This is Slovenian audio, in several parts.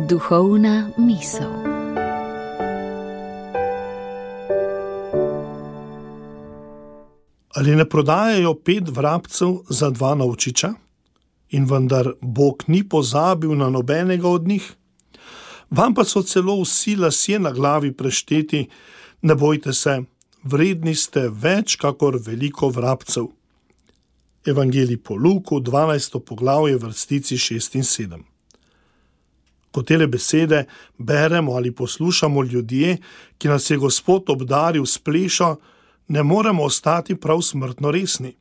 Duhovna misel. Ali ne prodajajo 5 vrabcev za 2 novčiča? In vendar Bog ni pozabil na nobenega od njih? Vam pa so celo vsi lasje na glavi prešteti, ne bojte se, vredni ste več kakor veliko vrabcev. Evangelij po Luku, 12. poglavje, vrstici 6 in 7. Ko tele besede beremo ali poslušamo ljudje, ki nas je Gospod obdaril s plešo, ne moremo ostati prav smrtno resni.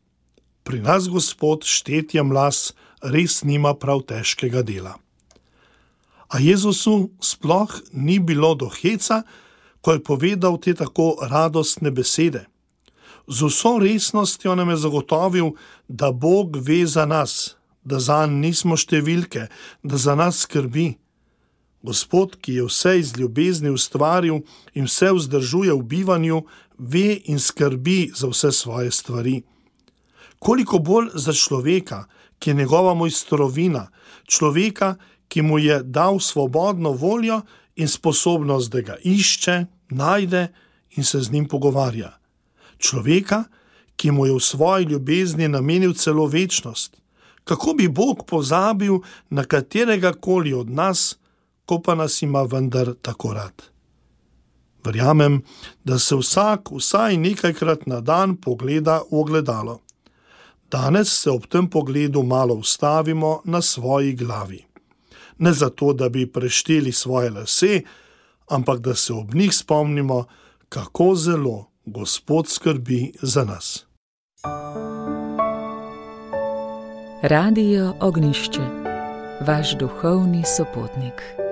Pri nas Gospod štetjem las res nima prav težkega dela. A Jezusu sploh ni bilo do heca, ko je povedal te tako radostne besede. Z vso resnostjo nam je zagotovil, da Bog ve za nas, da zanj nismo številke, da za nas skrbi. Gospod, ki je vse iz ljubezni ustvaril in vse vzdržuje v bivanju, ve in skrbi za vse svoje stvari. Koliko bolj za človeka, ki je njegova mojstrovina, človeka, ki mu je dal svobodno voljo in sposobnost, da ga išče, najde in se z njim pogovarja. Človeka, ki mu je v svoji ljubezni namenil celo večnost. Kako bi Bog pozabil na katerega koli od nas, ko pa nas ima vendar tako rad? Verjamem, da se vsak vsaj nekajkrat na dan pogleda v ogledalo. Danes se ob tem pogledu malo ustavimo na svoji glavi. Ne zato, da bi prešteli svoje lase, ampak da se ob njih spomnimo, kako zelo Gospod skrbi za nas. Radio Ognjišče, vaš duhovni sopotnik.